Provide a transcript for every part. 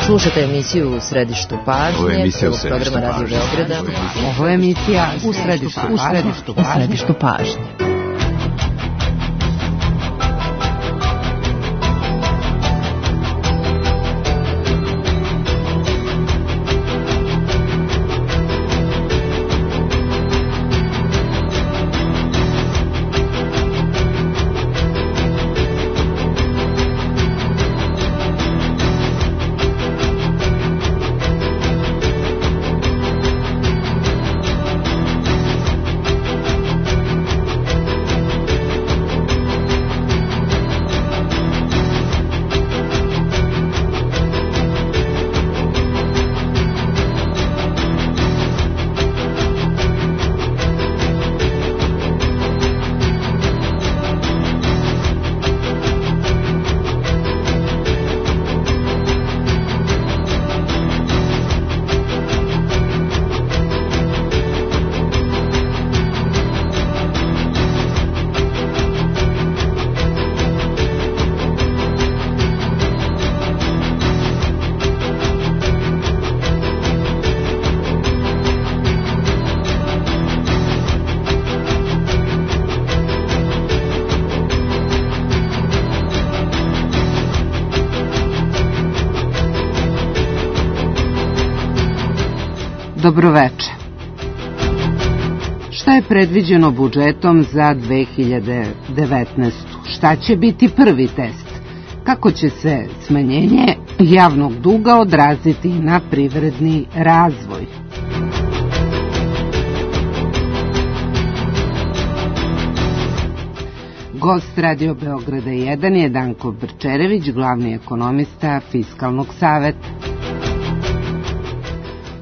Slušate emisiju U središtu pažnje, prvog programa Radio Beograda. Ovo je emisija U središtu pažnje. Dobroveče. Šta je predviđeno budžetom za 2019? Šta će biti prvi test? Kako će se smanjenje javnog duga odraziti na privredni razvoj? Gost Radio Beograda 1 je Danko Brčerević, glavni ekonomista Fiskalnog saveta.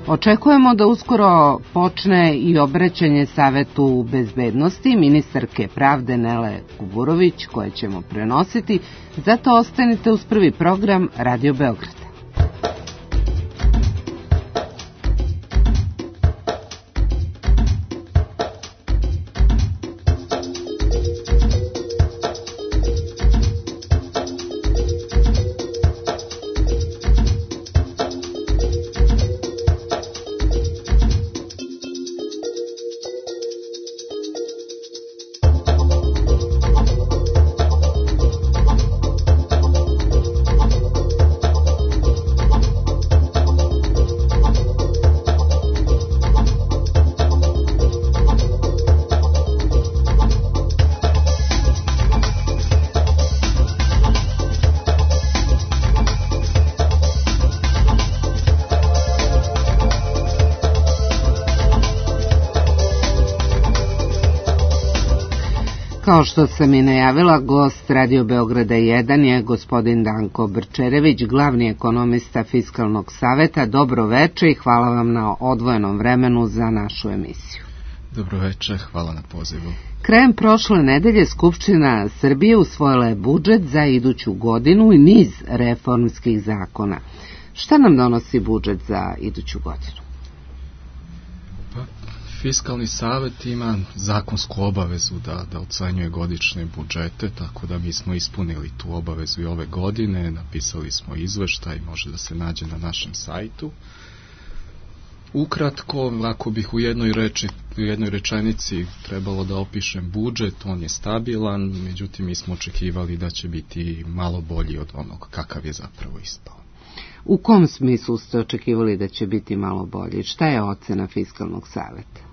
Očekujemo da uskoro počne i obraćanje Savetu bezbednosti ministarke pravde Nele Kuburović, koje ćemo prenositi, zato ostanite uz prvi program Radio Beograda. Kao što sam i najavila, gost Radio Beograda 1 je gospodin Danko Brčerević, glavni ekonomista Fiskalnog saveta. Dobro veče i hvala vam na odvojenom vremenu za našu emisiju. Dobro veče, hvala na pozivu. Krajem prošle nedelje Skupština Srbije usvojila je budžet za iduću godinu i niz reformskih zakona. Šta nam donosi budžet za iduću godinu? Fiskalni savet ima zakonsku obavezu da ocenjuje godišnje budžete, tako da mi smo ispunili tu obavezu i ove godine, napisali smo izveštaj, može da se nađe na našem sajtu. Ukratko, ako bih u jednoj rečenici trebalo da opišem budžet, on je stabilan, međutim mi smo očekivali da će biti malo bolji od onog kakav je zapravo ispao. U kom smislu ste očekivali da će biti malo bolji? Šta je ocena Fiskalnog saveta?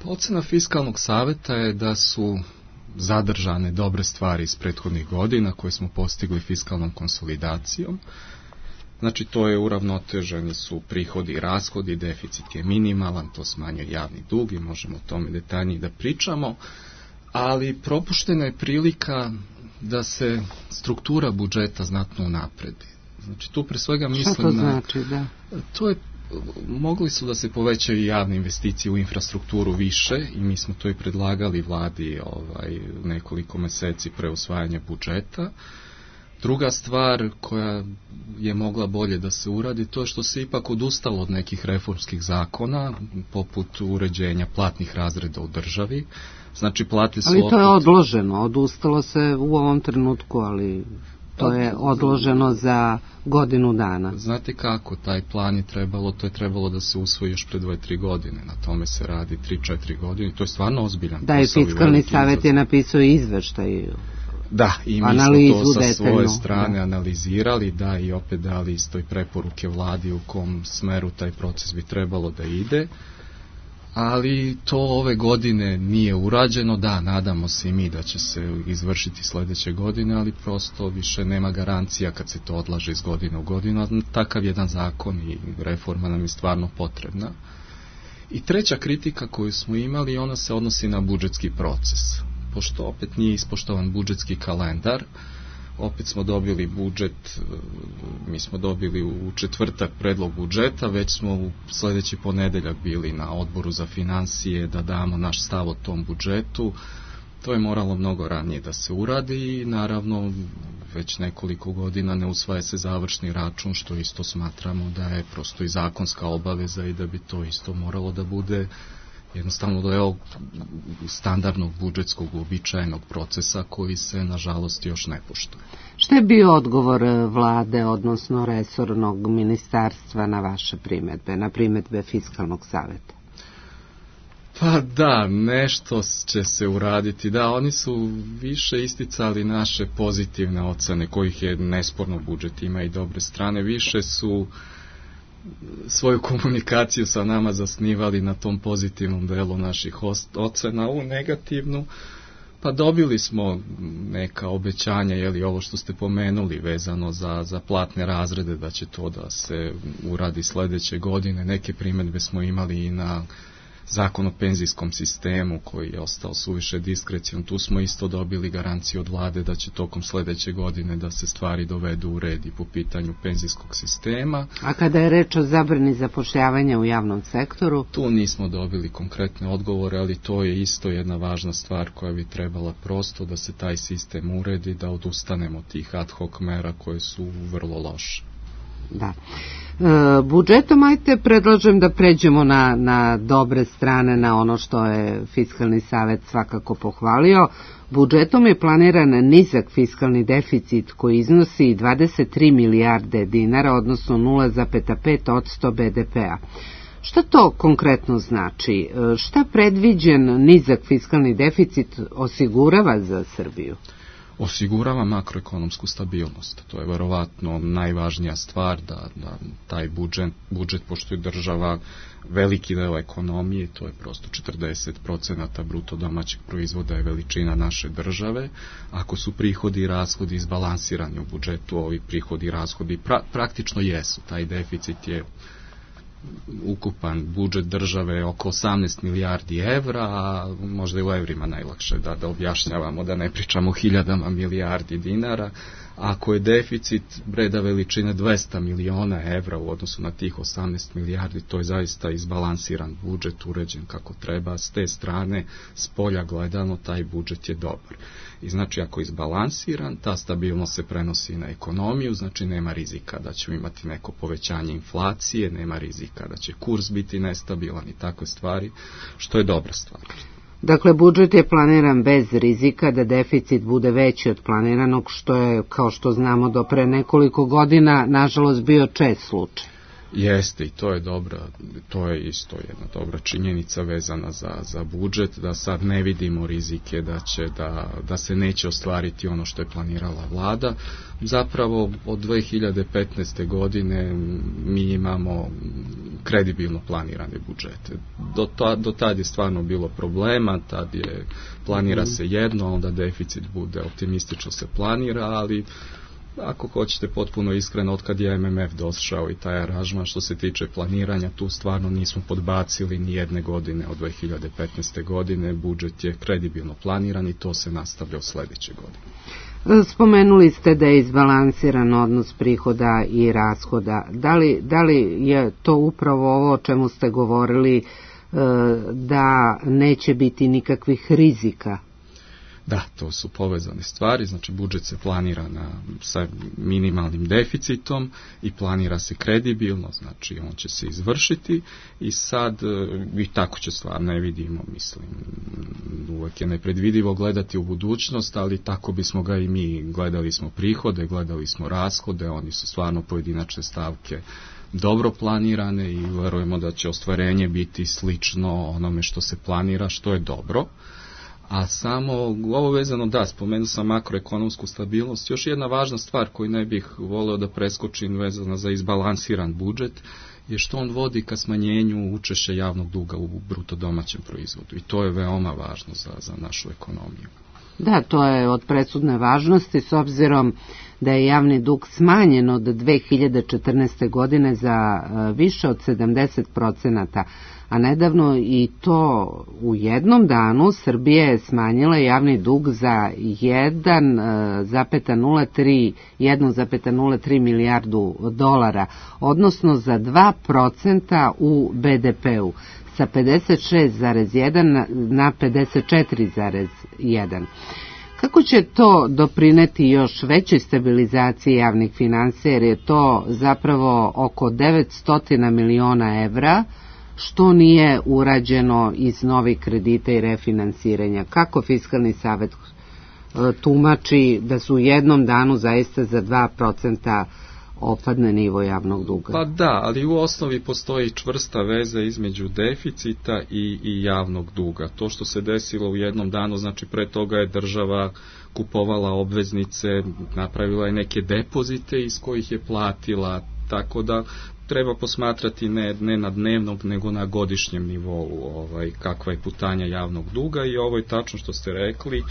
Ocena Fiskalnog saveta je da su zadržane dobre stvari iz prethodnih godina koje smo postigli fiskalnom konsolidacijom. Znači to je uravnoteženi su prihodi i rashodi, deficit je minimalan, to smanjuje javni dug i možemo o tome detaljnije da pričamo, ali propuštena je prilika da se struktura budžeta znatno unapredi. Znači tu pre svega mislim Šta to znači, da? To je mogli su da se povećaju javne investicije u infrastrukturu više i mi smo to i predlagali vladi nekoliko meseci pre usvajanja budžeta. Druga stvar koja je mogla bolje da se uradi, to je što se ipak odustalo od nekih reformskih zakona, poput uređenja platnih razreda u državi. Znači plate su ali to je odloženo, odustalo se u ovom trenutku, ali To je odloženo za godinu dana. Znate kako, taj plan je trebalo da se usvoji još pre 2-3 godine. Na tome se radi 3-4 godine. To je stvarno ozbiljan posao. Da, i fiskalni savjet je napisao izveštaj. Da, i mi smo to sa svoje strane analizirali, da, i opet dali isto i preporuke vladi u kom smeru taj proces bi trebalo da ide. Ali to ove godine nije urađeno, da, nadamo se i mi da će se izvršiti sledeće godine, ali prosto više nema garancija kad se to odlaže iz godine u godinu, a takav jedan zakon i reforma nam je stvarno potrebna. I treća kritika koju smo imali, ona se odnosi na budžetski proces, pošto opet nije ispoštovan budžetski kalendar. Opet smo dobili budžet, mi smo dobili u četvrtak predlog budžeta, već smo u sledeći ponedeljak bili na odboru za finansije da damo naš stav o tom budžetu. To je moralo mnogo ranije da se uradi i naravno već nekoliko godina ne usvaja se završni račun, što isto smatramo da je prosto i zakonska obaveza i da bi to isto moralo da bude jednostavno deo standardnog budžetskog uobičajenog procesa koji se nažalost još ne poštuje. Šta je bio odgovor vlade, odnosno resornog ministarstva na vaše primedbe, na primedbe Fiskalnog saveta? Pa da, nešto će se uraditi. Da, oni su više isticali naše pozitivne ocene, kojih je nesporno, budžet ima i dobre strane, više su svoju komunikaciju sa nama zasnivali na tom pozitivnom delu naših ocena, u negativnu, pa dobili smo neka obećanja, ovo što ste pomenuli vezano za platne razrede, da će to da se uradi sledeće godine. Neke primedbe smo imali i na zakon o penzijskom sistemu koji je ostao suviše diskrecion. Tu smo isto dobili garanciju od vlade da će tokom sledeće godine da se stvari dovedu u red i po pitanju penzijskog sistema. A kada je reč o zabrani zapošljavanja u javnom sektoru? Tu nismo dobili konkretne odgovore, ali to je isto jedna važna stvar koja bi trebala prosto da se taj sistem uredi, da odustanemo tih ad hoc mera koje su vrlo loše. Da. Budžetom, ajte, predlažem da pređemo na dobre strane, na ono što je Fiskalni savet svakako pohvalio. Budžetom je planiran nizak fiskalni deficit koji iznosi 23 milijarde dinara, odnosno 0,5% BDP-a. Šta to konkretno znači? Šta predviđen nizak fiskalni deficit osigurava za Srbiju? Osigurava makroekonomsku stabilnost. To je verovatno najvažnija stvar, da taj budžet, pošto je država veliki deo ekonomije, to je prosto 40% bruto domaćeg proizvoda je veličina naše države. Ako su prihodi i rashodi izbalansirani u budžetu, ovi prihodi i rashodi praktično jesu. Taj deficit je ukupan budžet države oko 18 milijardi evra, a možda i u evrima najlakše da objašnjavamo, da ne pričamo o hiljadama milijardi dinara. Ako je deficit reda veličine 200 miliona evra u odnosu na tih 18 milijardi, to je zaista izbalansiran budžet, uređen kako treba. S te strane, s polja gledano, taj budžet je dobar. I znači, ako je izbalansiran, ta stabilnost se prenosi na ekonomiju, znači nema rizika da ćemo imati neko povećanje inflacije, nema rizika da će kurs biti nestabilan i takve stvari, što je dobra stvar. Dakle, budžet je planiran bez rizika da deficit bude veći od planiranog, što je, kao što znamo, do pre nekoliko godina, nažalost, bio čest slučaj. Jeste, i to je isto jedna dobra činjenica vezana za budžet, da sad ne vidimo rizike da se neće ostvariti ono što je planirala vlada. Zapravo od 2015. godine mi imamo kredibilno planirane budžete. Do tad je stvarno bilo problema, tad planira se jedno, onda deficit bude optimistično se planira, ali ako hoćete potpuno iskreno, od kad je MMF došao i taj aranžman što se tiče planiranja, tu stvarno nismo podbacili ni jedne godine od 2015. godine, budžet je kredibilno planiran i to se nastavlja u sledeće godine. Spomenuli ste da je izbalansiran odnos prihoda i rashoda. Da li je to upravo ovo o čemu ste govorili, da neće biti nikakvih rizika? Da, to su povezane stvari, znači budžet se planira sa minimalnim deficitom i planira se kredibilno, znači on će se izvršiti i sad i tako će stvar, ne vidimo, mislim, uvek je nepredvidivo gledati u budućnost, ali tako bismo ga i mi, gledali smo prihode, gledali smo rashode, oni su stvarno pojedinačne stavke dobro planirane i verujemo da će ostvarenje biti slično onome što se planira, što je dobro. A samo ovo vezano, da, spomenuo sam makroekonomsku stabilnost. Još jedna važna stvar koju ne bih voleo da preskočim vezana za izbalansiran budžet je što on vodi ka smanjenju učešća javnog duga u bruto domaćem proizvodu. I to je veoma važno za našu ekonomiju. Da, to je od presudne važnosti s obzirom da je javni dug smanjen od 2014. godine za više od 70%, a nedavno i to u jednom danu Srbija je smanjila javni dug za 1,03 milijardu dolara, odnosno za 2% u BDP-u, sa 56,1 na 54,1. Kako će to doprineti još većoj stabilizaciji javnih finansija, jer je to zapravo oko 900 miliona evra, što nije urađeno iz novih kredita i refinansiranja? Kako Fiskalni savet tumači da su u jednom danu zaista za 2% opadne nivo javnog duga? Pa da, ali u osnovi postoji čvrsta veza između deficita i javnog duga. To što se desilo u jednom danu, znači pre toga je država kupovala obveznice, napravila je neke depozite iz kojih je platila, tako da treba posmatrati ne na dnevnom, nego na godišnjem nivou kakva je putanja javnog duga i ovo je tačno što ste rekli,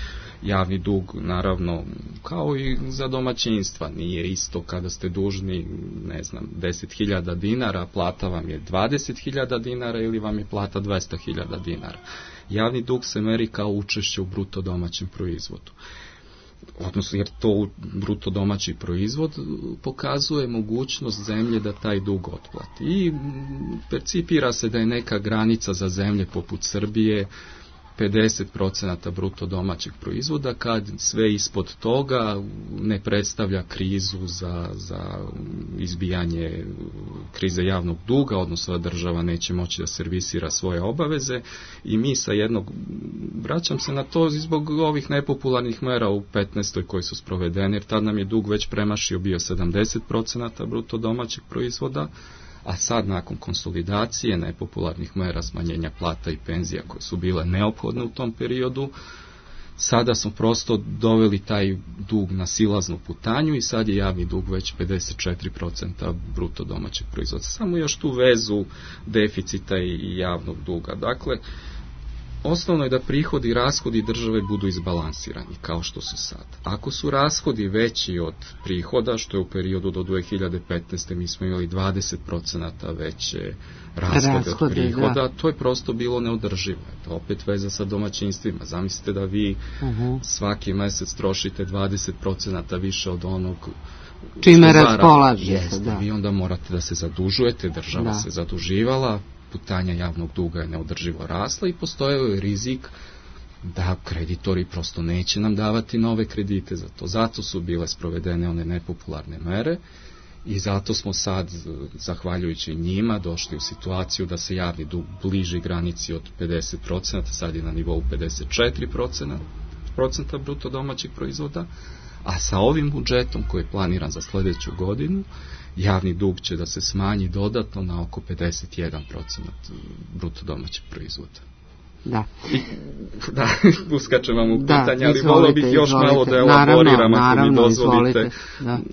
javni dug naravno kao i za domaćinstva, nije isto kada ste dužni, ne znam, 10.000 dinara, plata vam je 20.000 dinara ili vam je plata 200.000 dinara. Javni dug se meri kao učešće u bruto domaćem proizvodu. Odnosno, jer to bruto domaći proizvod pokazuje mogućnost zemlje da taj dug otplati. I percipira se da je neka granica za zemlje poput Srbije 50% bruto domaćeg proizvoda, kad sve ispod toga ne predstavlja krizu za izbijanje krize javnog duga, odnosno da država neće moći da servisira svoje obaveze i mi sa jednog, vraćam se na to zbog ovih nepopularnih mera u 15. koji su sprovedeni, jer tad nam je dug već premašio bio 70% bruto domaćeg proizvoda, a sad nakon konsolidacije nepopularnih mera smanjenja plata i penzija koje su bile neophodne u tom periodu, sada smo prosto doveli taj dug na silaznu putanju i sad je javni dug već 54% bruto domaćeg proizvoda. Samo još tu vezu deficita i javnog duga. Dakle, osnovno je da prihodi i rashodi države budu izbalansirani, kao što su sad. Ako su rashodi veći od prihoda, što je u periodu do 2015. mi smo imali 20% veće rashode od prihoda, da. To je prosto bilo neodrživo. Opet veza sa domaćinstvima. Zamislite da vi svaki mesec trošite 20% više od onog čime raspolažete. Da. Vi onda morate da se zadužujete, država se zaduživala, putanja javnog duga je neodrživo rasla i postojao je rizik da kreditori prosto neće nam davati nove kredite za to. Zato su bile sprovedene one nepopularne mere i zato smo sad, zahvaljujući njima, došli u situaciju da se javni dug bliži granici od 50%, sad je na nivou 54% bruto domaćeg proizvoda, a sa ovim budžetom koji je planiran za sljedeću godinu, javni dug će da se smanji dodatno na oko 51% bruto domaćeg proizvoda. Da. Da, uskačem vam u pitanje, ali volio bih još malo da elaboriram, ako mi dozvolite,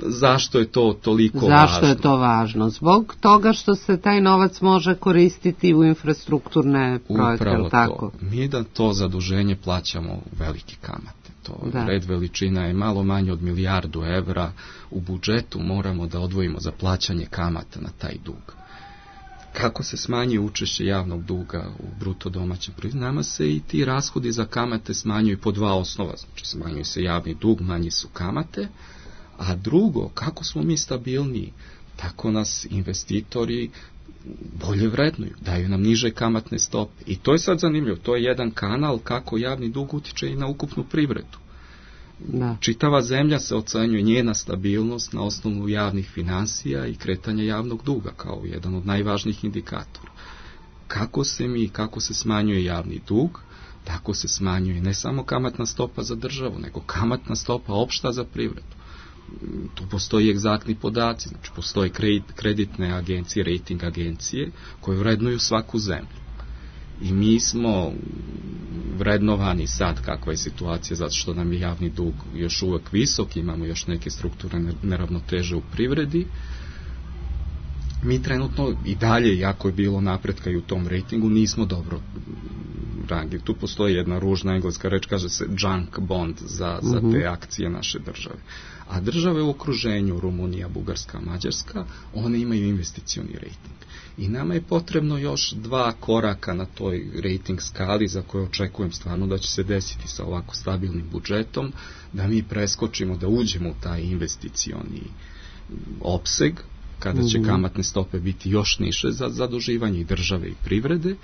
zašto je to toliko važno. Zašto je to važno? Zbog toga što se taj novac može koristiti u infrastrukturne projekte. Upravo to. Mi da to zaduženje plaćamo velike kamate. Red veličina je malo manje od 1 milijardu evra. U budžetu moramo da odvojimo za plaćanje kamata na taj dug. Kako se smanjuje učešće javnog duga u bruto domaćem proizvodu, nama se i ti rashodi za kamate smanjuju po dva osnova. Znači, smanjuje se javni dug, manji su kamate, a drugo, kako smo mi stabilniji, tako nas investitori bolje vrednuju, daju nam niže kamatne stope. I to je sad zanimljivo, to je jedan kanal kako javni dug utiče i na ukupnu privredu. Da. Čitava zemlja se ocenjuje, njena stabilnost na osnovu javnih finansija i kretanja javnog duga kao jedan od najvažnijih indikatora. Kako se smanjuje javni dug, tako se smanjuje ne samo kamatna stopa za državu, nego kamatna stopa opšta za privredu. Tu postoji egzaktni podaci, znači postoje kreditne agencije, rating agencije koje vrednuju svaku zemlju. I mi smo vrednovani sad kakva je situacija, zato što nam je javni dug još uvek visok, imamo još neke strukturne neravnoteže u privredi. Mi trenutno i dalje, jako je bilo napretka i u tom rejtingu, nismo dobro rangirani. Tu postoji jedna ružna engleska reč, kaže se junk bond za te akcije naše države. A države u okruženju, Rumunija, Bugarska, Mađarska, one imaju investicioni rejting. I nama je potrebno još 2 koraka na toj rejting skali za koje očekujem stvarno da će se desiti sa ovako stabilnim budžetom, da mi preskočimo, da uđemo u taj investicioni opseg, kada će kamatne stope biti još niže za zaduživanje i države i privrede,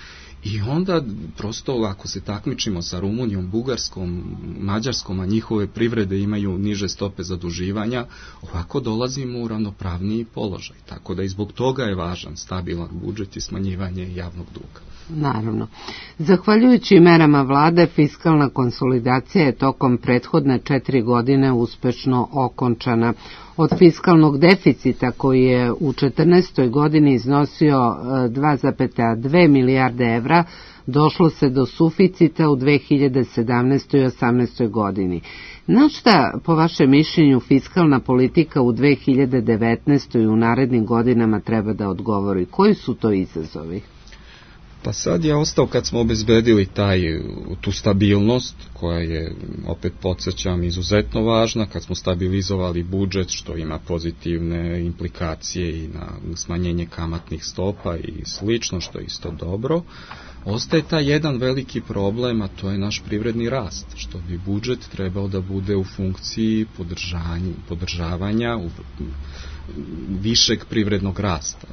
i onda prosto ako se takmičimo sa Rumunijom, Bugarskom, Mađarskom, a njihove privrede imaju niže stope zaduživanja, ovako dolazimo u ravnopravniji položaj. Tako da i zbog toga je važan stabilan budžet i smanjivanje javnog duga. Naravno. Zahvaljujući merama vlade, fiskalna konsolidacija je tokom prethodne 4 godine uspešno okončana. Od fiskalnog deficita koji je u 2014. godini iznosio 2,2 milijarde evra, došlo se do suficita u 2017. i 2018. godini. Na šta, po vašem mišljenju, fiskalna politika u 2019. i u narednim godinama treba da odgovori? Koji su to izazovi? Pa sad je ostao, kad smo obezbedili tu stabilnost, koja je, opet podsjećam, izuzetno važna, kad smo stabilizovali budžet, što ima pozitivne implikacije i na smanjenje kamatnih stopa i slično, što je isto dobro, ostaje taj jedan veliki problem, a to je naš privredni rast, što bi budžet trebao da bude u funkciji podržavanja višeg privrednog rasta.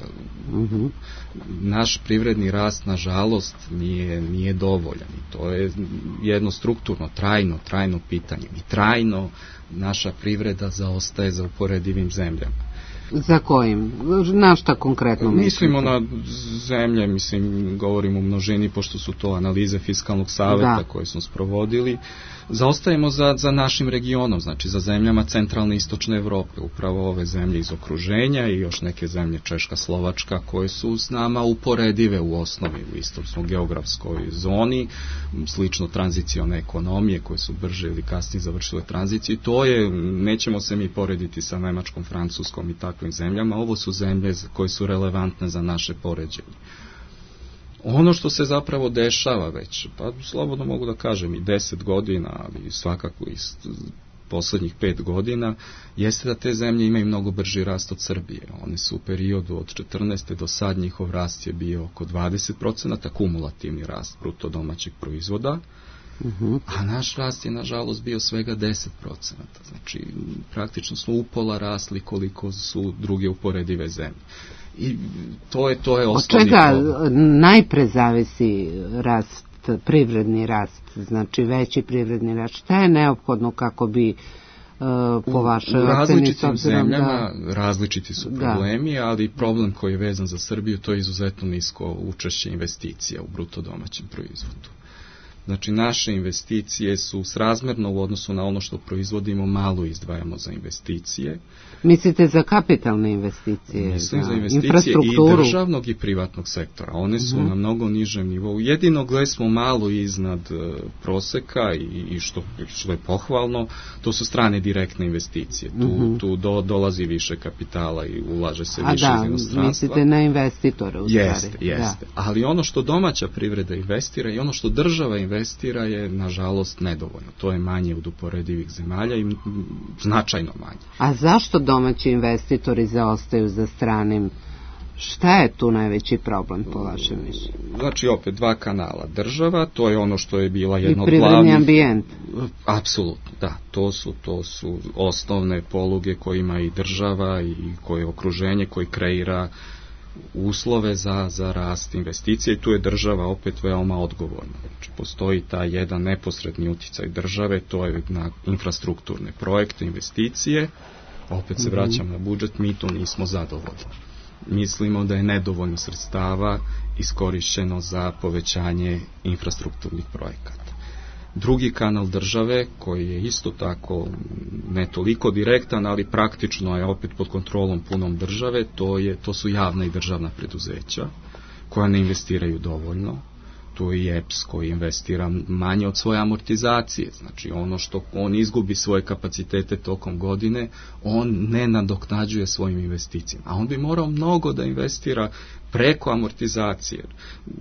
Naš privredni rast, nažalost, nije dovoljan. I to je jedno strukturno, trajno pitanje. I trajno naša privreda zaostaje za uporedivim zemljama. Za kojim? Na šta konkretno mislite? Mislimo na zemlje, govorim u množini, pošto su to analize fiskalnog saveta koje smo sprovodili. Zaostajemo za našim regionom, znači za zemljama centralne i istočne Evrope, upravo ove zemlje iz okruženja i još neke zemlje, Češka, Slovačka, koje su s nama uporedive u osnovi, u istom smo geografskoj zoni, slično tranzicione ekonomije koje su brže ili kasnije završile tranziciju. To je, nećemo se mi porediti sa Nemačkom, Francuskom i takvim zemljama, ovo su zemlje koje su relevantne za naše poređenje. Ono što se zapravo dešava već, pa slobodno mogu da kažem i 10 godina, ali svakako i poslednjih 5 godina, jeste da te zemlje imaju mnogo brži rast od Srbije. One su u periodu od 14. do sad, njihov rast je bio oko 20%, kumulativni rast bruto domaćeg proizvoda, a naš rast je nažalost bio svega 10%. Znači, praktično smo upola rasli koliko su druge uporedive zemlje. I to je osnovni problem. Od čega najpre zavisi rast, privredni rast, znači veći privredni rast? Šta je neophodno kako bi po vašoj oceni? U različitim zemljama različiti su problemi, ali problem koji je vezan za Srbiju, to je izuzetno nisko učešće investicija u bruto domaćem proizvodu. Znači, naše investicije su srazmerno u odnosu na ono što proizvodimo, malo izdvajamo za investicije. Mislite za kapitalne investicije? Mislim za investicije i državnog i privatnog sektora. One su na mnogo nižem nivou. Jedino gde smo malo iznad proseka i što je pohvalno, to su strane direktne investicije. Tu dolazi više kapitala i ulaže se više iz inostranstva. Mislite na investitore u stvari. Jeste. Ali ono što domaća privreda investira i ono što država investira je, nažalost, nedovoljno. To je manje od uporedivih zemalja i značajno manje. A zašto domaći investitori zaostaju za stranim? Šta je tu najveći problem po vašem mišljenju? Znači, opet 2 kanala. Država, to je ono što je bila jedna od glavnih... I privredni ambijent. Apsolutno, da. To su osnovne poluge koje ima i država i koje okruženje, koje kreira uslove za rast investicije i tu je država opet veoma odgovorna. Znači, postoji taj jedan neposredni utjecaj države, to je na infrastrukturne projekte, investicije, opet se vraćam na budžet, mi to nismo zadovoljni. Mislimo da je nedovoljno sredstava iskorišćeno za povećanje infrastrukturnih projekata. Drugi kanal države, koji je isto tako ne toliko direktan, ali praktično je opet pod kontrolom punom države, to su javna i državna preduzeća koja ne investiraju dovoljno. Tu je i EPS koji investira manje od svoje amortizacije. Znači ono što on izgubi svoje kapacitete tokom godine, on ne nadoknađuje svojim investicijama. A on bi morao mnogo da investira preko amortizacije.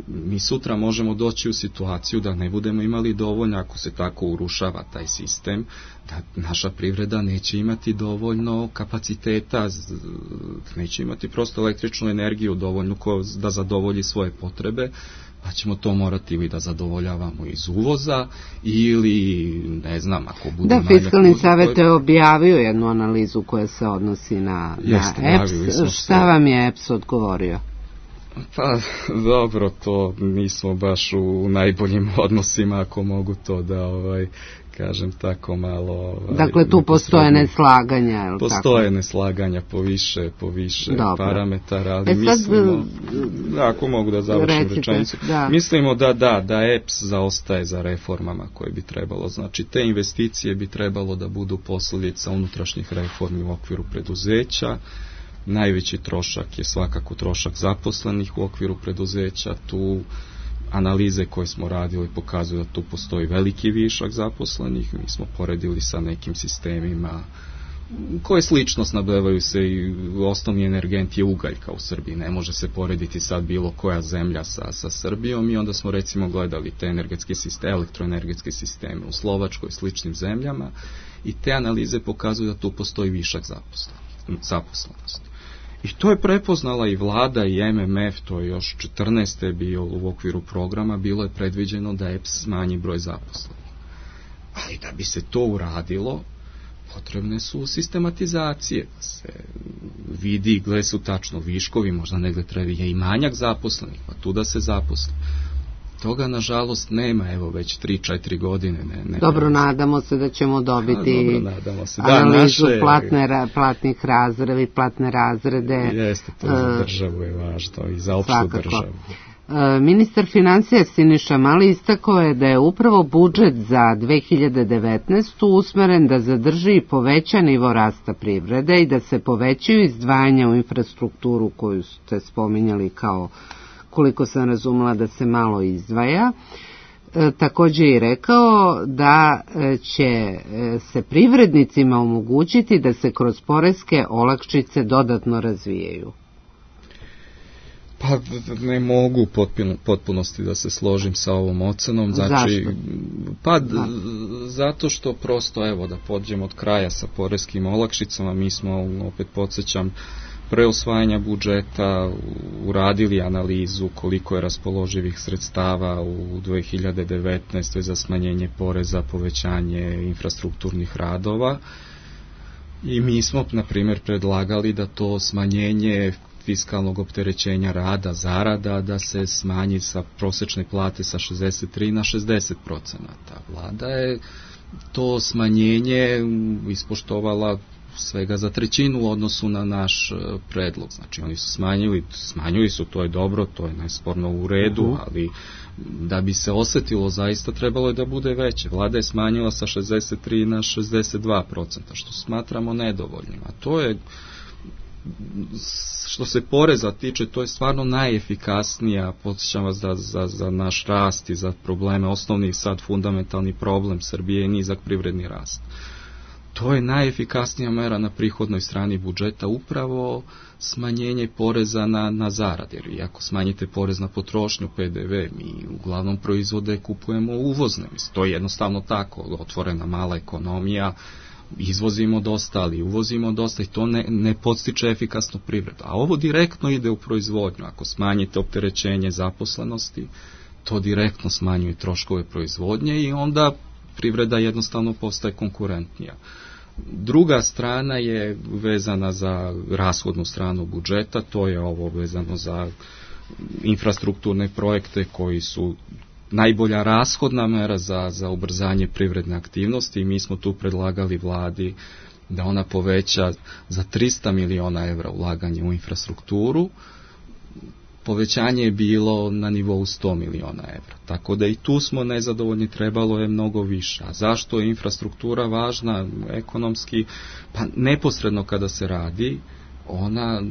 Mi sutra možemo doći u situaciju da ne budemo imali dovoljno, ako se tako urušava taj sistem, da naša privreda neće imati dovoljno kapaciteta, neće imati prosto električnu energiju dovoljnu da zadovolji svoje potrebe, pa ćemo to morati ili da zadovoljavamo iz uvoza ili, ne znam, ako bude... Da, Fiskalni savjet je objavio jednu analizu koja se odnosi na EPS. Šta vam je EPS odgovorio? Pa, dobro, to nismo baš u najboljim odnosima, ako mogu to da, kažem tako malo... Dakle, tu postoje neslaganja, je li tako? Postoje neslaganja po više parametara, ali mislimo, ako mogu da završim rečenicu, mislimo da EPS zaostaje za reformama koje bi trebalo. Znači, te investicije bi trebalo da budu posljedica unutrašnjih reformi u okviru preduzeća. Najveći trošak je svakako trošak zaposlenih u okviru preduzeća. Tu analize koje smo radili pokazuju da tu postoji veliki višak zaposlenih. Mi smo poredili sa nekim sistemima koje slično snabdevaju se i osnovni energent je ugaljka u Srbiji. Ne može se porediti sad bilo koja zemlja sa Srbijom i onda smo recimo gledali te elektroenergetske sisteme u Slovačkoj i sličnim zemljama i te analize pokazuju da tu postoji višak zaposlenosti. I to je prepoznala i vlada i MMF, to je još 14. bio u okviru programa, bilo je predviđeno da EPS smanji broj zaposlenih. Ali da bi se to uradilo, potrebne su sistematizacije, da se vidi gdje su tačno viškovi, možda negdje treba i manjak zaposlenih, pa tu da se zaposli. Toga, nažalost, nema, evo, već 3-4 godine. Dobro, nadamo se da ćemo dobiti analizu platnih razreda i platne razrede. Jeste, to za državu je važno i za opštu državu. Ministar financija Siniša Mali istakao je da je upravo budžet za 2019. usmeren da zadrži i poveća nivo rasta privrede i da se povećaju izdvajanja u infrastrukturu koju ste spominjali kao, koliko sam razumela, da se malo izdvaja. Također je rekao da će se privrednicima omogućiti da se kroz poreske olakšice dodatno razvijaju. Pa ne mogu potpunosti da se složim sa ovom ocenom. Zašto? Zato što prosto, evo, da pođemo od kraja sa poreskim olakšicama, mi smo, opet podsjećam, pre usvajanja budžeta uradili analizu koliko je raspoloživih sredstava u 2019. za smanjenje poreza, povećanje infrastrukturnih radova i mi smo, na primjer, predlagali da to smanjenje fiskalnog opterećenja rada, zarada, da se smanji sa prosječne plate sa 63 na 60%. Vlada je to smanjenje ispoštovala svega za trećinu u odnosu na naš predlog. Znači oni su smanjili su, to je dobro, to je nesporno u redu, ali da bi se osjetilo zaista trebalo je da bude veće. Vlada je smanjila sa 63 na 62%, što smatramo nedovoljnim. A to je, što se poreza tiče, to je stvarno najefikasnija, podsjećam vas da za naš rast i za probleme, osnovni sad fundamentalni problem Srbije je nizak privredni rast. To je najefikasnija mera na prihodnoj strani budžeta, upravo smanjenje poreza na zarade. Jer ako smanjite porez na potrošnju, PDV, mi uglavnom proizvode kupujemo uvozne. To je jednostavno tako, otvorena mala ekonomija, izvozimo dosta, ali uvozimo dosta i to ne podstiče efikasnu privredu. A ovo direktno ide u proizvodnju. Ako smanjite opterećenje zaposlenosti, to direktno smanjuje troškove proizvodnje i onda privreda jednostavno postaje konkurentnija. Druga strana je vezana za rashodnu stranu budžeta, to je ovo vezano za infrastrukturne projekte koji su najbolja rashodna mera za ubrzanje privredne aktivnosti i mi smo tu predlagali vladi da ona poveća za 300 miliona evra ulaganje u infrastrukturu. Povećanje je bilo na nivou 100 miliona evra. Tako da i tu smo nezadovoljni, trebalo je mnogo više. A zašto je infrastruktura važna ekonomski? Pa neposredno kada se radi, ona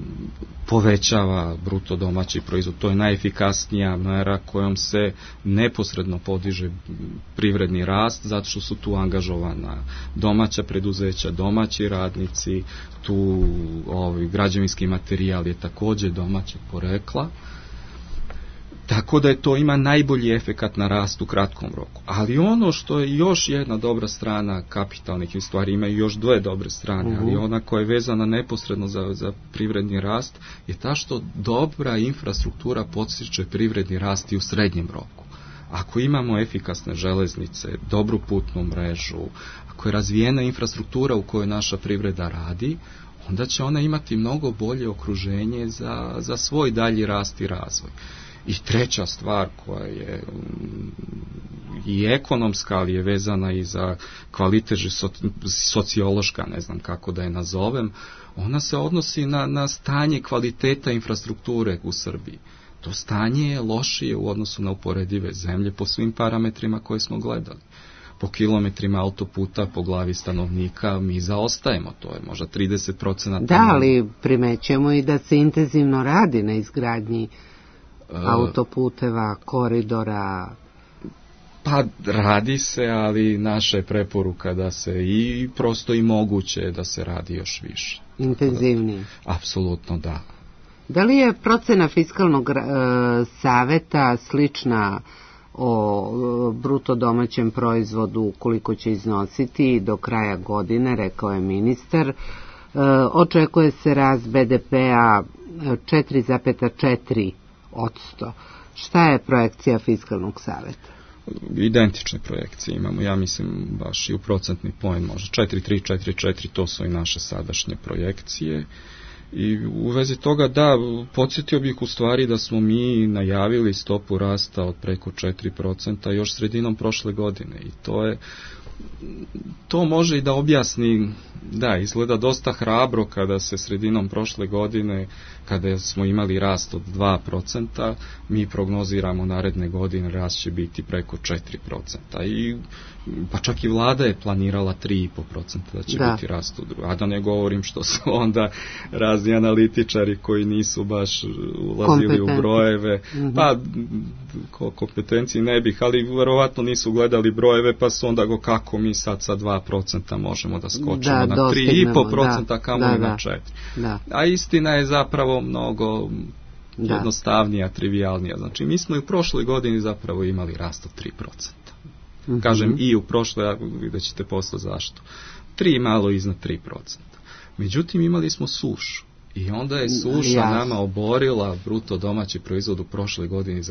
povećava bruto domaći proizvod. To je najefikasnija mera kojom se neposredno podiže privredni rast, zato što su tu angažovana domaća preduzeća, domaći radnici, tu građevinski materijal je također domaćeg porekla. Tako da to ima najbolji efekat na rast u kratkom roku. Ali ono što je još jedna dobra strana kapitalnih stvari, ima još dve dobre strane, ali ona koja je vezana neposredno za privredni rast je ta što dobra infrastruktura podstiče privredni rast i u srednjem roku. Ako imamo efikasne železnice, dobru putnu mrežu, ako je razvijena infrastruktura u kojoj naša privreda radi, onda će ona imati mnogo bolje okruženje za svoj dalji rast i razvoj. I treća stvar koja je i ekonomska, ali je vezana i za kvalitet sociološka, ne znam kako da je nazovem, ona se odnosi na stanje kvaliteta infrastrukture u Srbiji. To stanje je lošije u odnosu na uporedive zemlje po svim parametrima koje smo gledali. Po kilometrima autoputa, po glavi stanovnika, mi zaostajemo, to je možda 30%. Da, ali primećujemo i da se intenzivno radi na izgradnji autoputeva, koridora. Pa radi se, ali naša je preporuka da se i prosto i moguće da se radi još više. Intenzivnije. Apsolutno da. Da li je procena fiskalnog saveta slična o bruto domaćem proizvodu koliko će iznositi do kraja godine, rekao je ministar. Očekuje se rast BDP-a 4,4%. Šta je projekcija fiskalnog saveta? Identične projekcije imamo, ja mislim baš i u procentni poen, možda 4,3, 4,4, to su i naše sadašnje projekcije. I u vezi toga, da, podsjetio bih u stvari da smo mi najavili stopu rasta od preko 4% još sredinom prošle godine i to može i da objasni, da, izgleda dosta hrabro kada se sredinom prošle godine, kada smo imali rast od 2%, mi prognoziramo naredne godine rast će biti preko 4%. I pa čak i vlada je planirala 3,5% da će biti rast u drugu. A da ne govorim što su onda razni analitičari koji nisu baš ulazili u brojeve, pa kompetenciji ne bih, ali verovatno nisu gledali brojeve, pa su onda kako mi sad sa 2% možemo da skočimo na 3,5%, kamo i na 4%. Da. A istina je zapravo mnogo jednostavnija, trivialnija. Znači, mi smo i u prošloj godini zapravo imali rast od 3%. Kažem i u prošloj, vidjet ćete posle zašto. 3 malo iznad 3%. Međutim, imali smo sušu. I onda je suša nama oborila bruto domaći proizvod u prošloj godini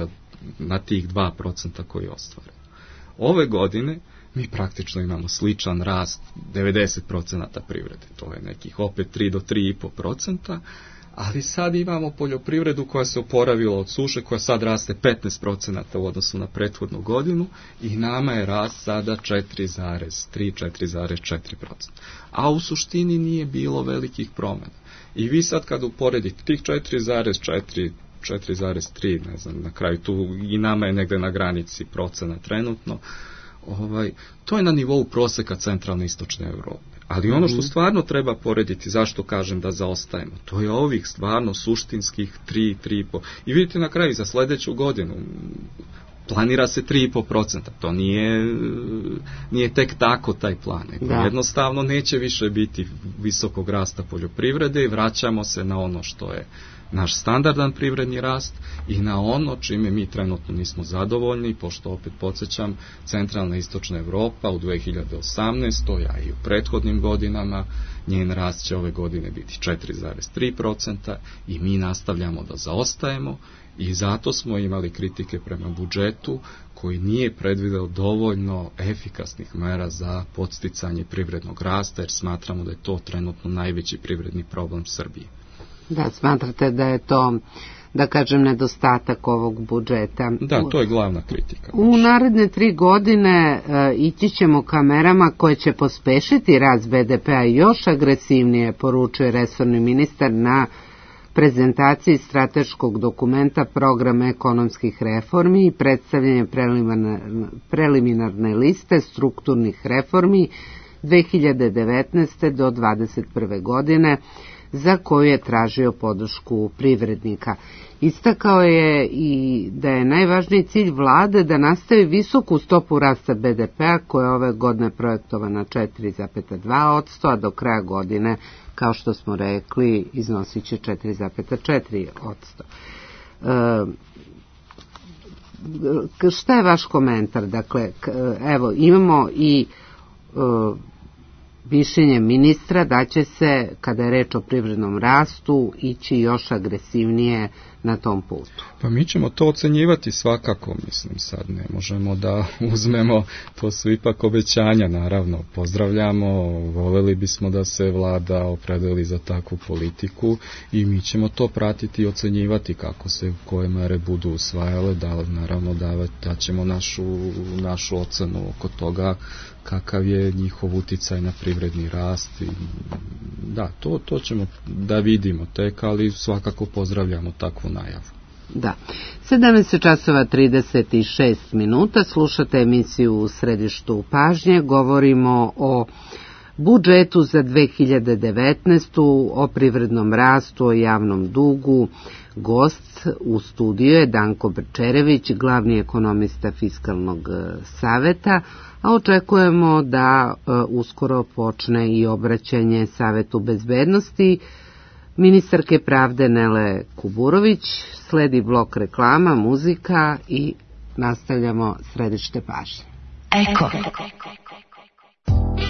na tih 2% koji je ostvaren. Ove godine mi praktično imamo sličan rast 90% privrede. To je nekih opet 3 do 3,5%, ali sad imamo poljoprivredu koja se oporavila od suše, koja sad raste 15% u odnosu na prethodnu godinu i nama je rast sada 4,3-4,4%. A u suštini nije bilo velikih promjena. I vi sad kad uporedite tih 4,3, ne znam, na kraju tu i nama je negde na granici procena trenutno, to je na nivou proseka centralne i istočne Europe. Ali ono što stvarno treba porediti, zašto kažem da zaostajemo, to je ovih stvarno suštinskih 3,5. I vidite na kraju za sljedeću godinu planira se 3,5%. To nije tek tako taj plan. Jednostavno neće više biti visokog rasta poljoprivrede i vraćamo se na ono što je naš standardan privredni rast i na ono čime mi trenutno nismo zadovoljni, pošto opet podsjećam, centralna i istočna Evropa u 2018. a i u prethodnim godinama, njen rast će ove godine biti 4,3% i mi nastavljamo da zaostajemo i zato smo imali kritike prema budžetu koji nije predvideo dovoljno efikasnih mera za podsticanje privrednog rasta, jer smatramo da je to trenutno najveći privredni problem Srbije. Da, smatrate da je to, da kažem, nedostatak ovog budžeta. Da, to je glavna kritika. U naredne 3 godine ići ćemo ka merama koje će pospešiti rast BDP-a još agresivnije, poručuje resorni ministar na prezentaciji strateškog dokumenta Programa ekonomskih reformi i predstavljanje preliminarne liste strukturnih reformi 2019. do 2021. godine, za koju je tražio podršku privrednika. Istakao je i da je najvažniji cilj vlade da nastavi visoku stopu rasta BDP-a koja je ove godine projektovana 4,2%, a do kraja godine, kao što smo rekli, iznosit će 4,4%. Šta je vaš komentar? Dakle, evo, imamo i mišljenje ministra da će se, kada je reč o privrednom rastu, ići još agresivnije na tom putu. Pa mi ćemo to ocenjivati svakako, mislim, sad ne možemo da uzmemo, to su ipak obećanja, naravno, pozdravljamo, voljeli bismo da se vlada opredeli za takvu politiku i mi ćemo to pratiti i ocenjivati kako se, koje mere budu usvajale, da naravno da ćemo našu ocenu oko toga kakav je njihov uticaj na privredni rast i da, to ćemo da vidimo tek, ali svakako pozdravljamo takvu najavu. Da. 17:36, slušate emisiju U središtu pažnje, govorimo o budžetu za 2019. o privrednom rastu, o javnom dugu. Gost u studiju je Danko Brčerević, glavni ekonomista Fiskalnog saveta, a očekujemo da uskoro počne i obraćanje Savetu bezbednosti ministarke pravde Nele Kuburović. Sledi blok reklama, muzika i nastavljamo središte pažnje. Eko.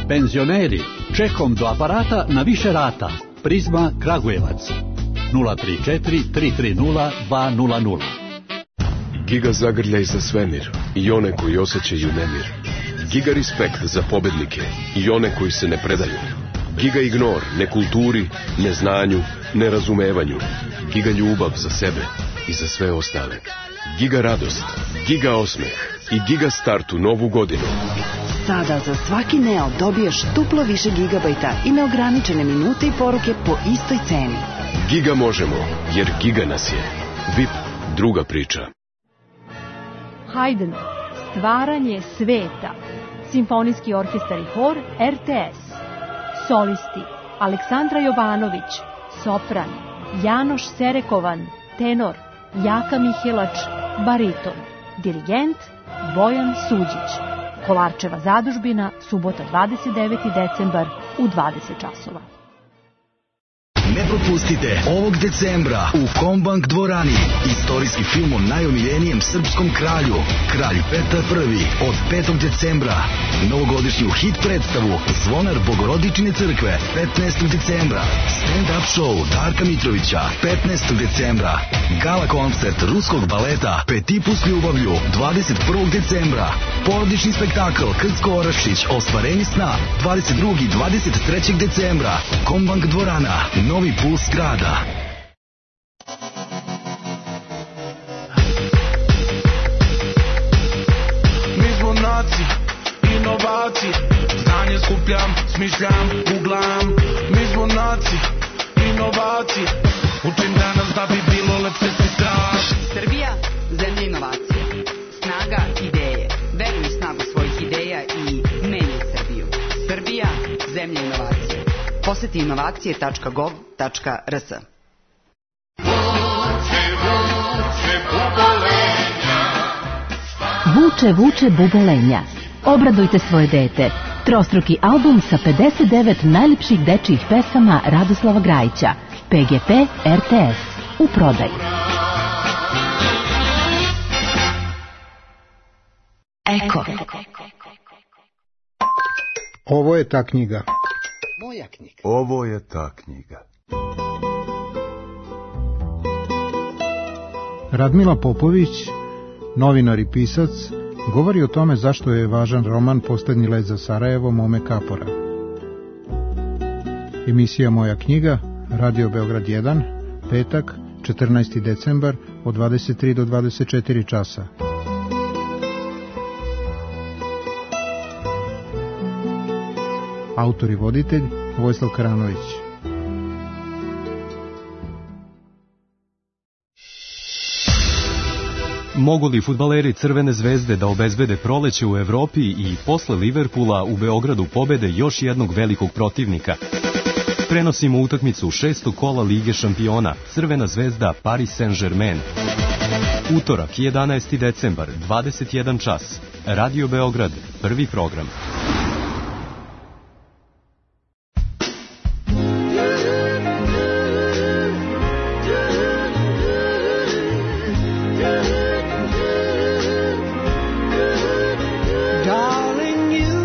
Penzioneri, čekom do aparata na više rata. Prizma Kragujevac 034 330 200. Giga zagrljaj za svemir i one koji osjećaju nemir. Giga respekt za pobednike i one koji se ne predaju. Giga ignor nekulturi, neznanju, nerazumevanju. Giga ljubav za sebe i za sve ostale. Giga radost, giga osmeh i giga start u novu godinu. Sada za svaki Neo dobiješ duplo više gigabajta i neograničene minute i poruke po istoj ceni. Giga možemo, jer giga nas je. VIP, druga priča. Haydn, stvaranje sveta. Simfonijski orkestar i hor RTS. Solisti: Aleksandra Jovanović, sopran; Janoš Serekovan, tenor; Jaka Mihelač, bariton; dirigent Bojan Suđić. Kolarčeva zadužbina, subota 29. decembar u 20 časova. Ne propustite ovog decembra u Kombank dvorani istorijski film o najomiljenijem srpskom kralju, Kralj Petar I, od 5. decembra. Novogodišnju hit predstavu Zvonar Bogorodičine crkve 15. decembra. Stand-up show Darka Mitrovića 15. decembra. Gala koncert ruskog baleta Petipu s ljubavlju 21. decembra. Porodični spektakl Krcko Orašić Ostvarenje sna 22. i 23. decembra. Kombank dvorana, novi puls grada. Mi smo naci, inovaci, znanje skupljam, smišljam, googlam. Mi smo naci, inovaci, učim danas da bi bilo lepše sutra. Srbija, zemlja inovacije, snaga ideje. Veruj u snagu svojih ideja i menjaj Srbiju. Srbija, zemlja inovacije. Poseti inovacije.gov.rs. Vuče, vuče bubelenja. Obradujte svoje dete. Trostruki album sa 59 najlepših dečijih pesama Radoslava Grajića. PGP RTS. u prodaju. Eko. Ovo je ta knjiga. Moja knjiga. Ovo je ta knjiga. Radmila Popović, novinar i pisac, govori o tome zašto je važan roman Poslednji let za Sarajevo Mome Kapora. Emisija Moja knjiga, Radio Beograd 1, petak, 14. decembar, od 23 do 24 časa. Autor i voditelj Vojislav Karanović. Mogu li fudbaleri Crvene zvezde da obezbede proleće u Evropi i posle Liverpula u Beogradu pobede još jednog velikog protivnika? Prenosimo utakmicu 6. kola Lige šampiona Crvena zvezda Paris Saint-Germain. Utorak 11. decembar 21 čas. Radio Beograd, prvi program. Darling, you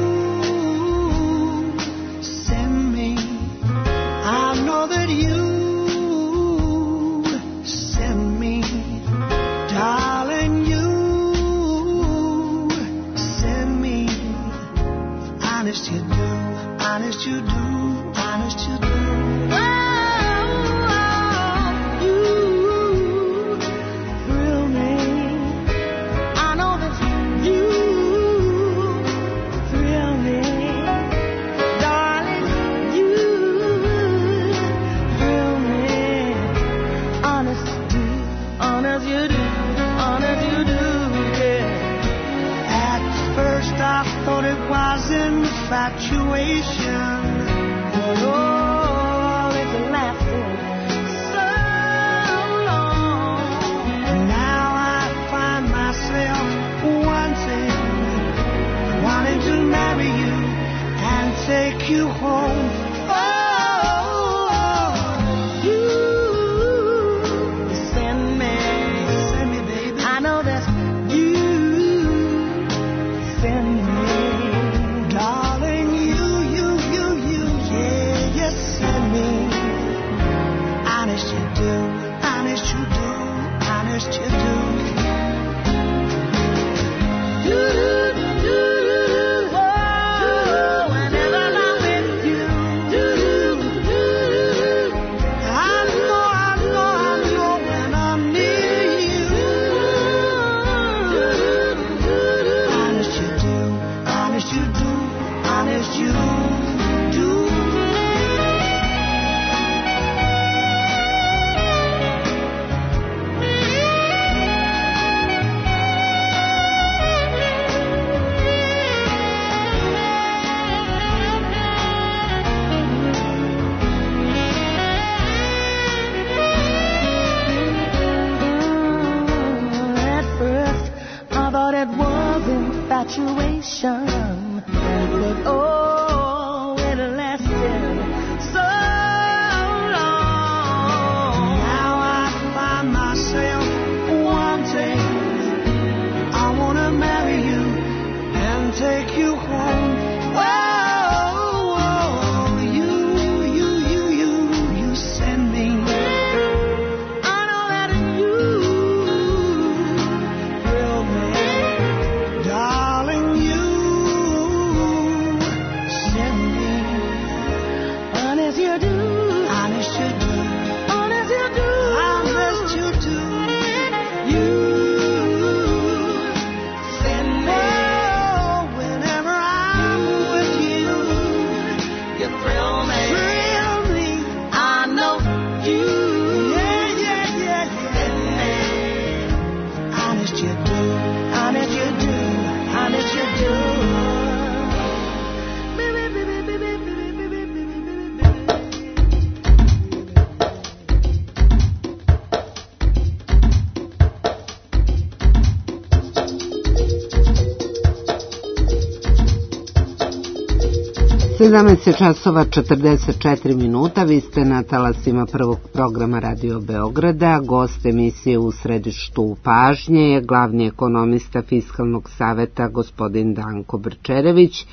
17 časova 44 minuta, vi ste na talasima prvog programa Radio Beograda. Gost emisije U središtu pažnje je glavni ekonomista Fiskalnog saveta gospodin Danko Brčerević.